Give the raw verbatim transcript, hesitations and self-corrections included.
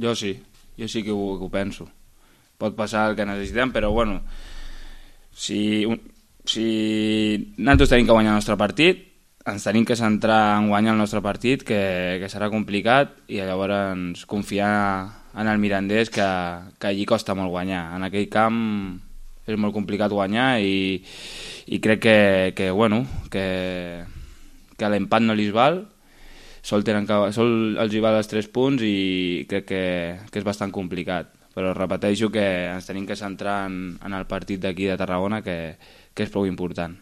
Jo sí, jo sí que ho, que ho penso. Pot passar el que necessitem, però bueno, si, si nosaltres tenim que guanyar el nostre partit, ens tenim que centrar en guanyar el nostre partit, que, que serà complicat, i llavors confiar en el Mirandés, que, que allí costa molt guanyar. En aquell camp és molt complicat guanyar i, i crec que, que, bueno, que, que l'empat no li val, sol, tenen que, sol els hi val els tres punts i crec que, que és bastant complicat. Però repeteixo que ens tenim que centrar en, en el partit d'aquí de Tarragona, que, que és prou important.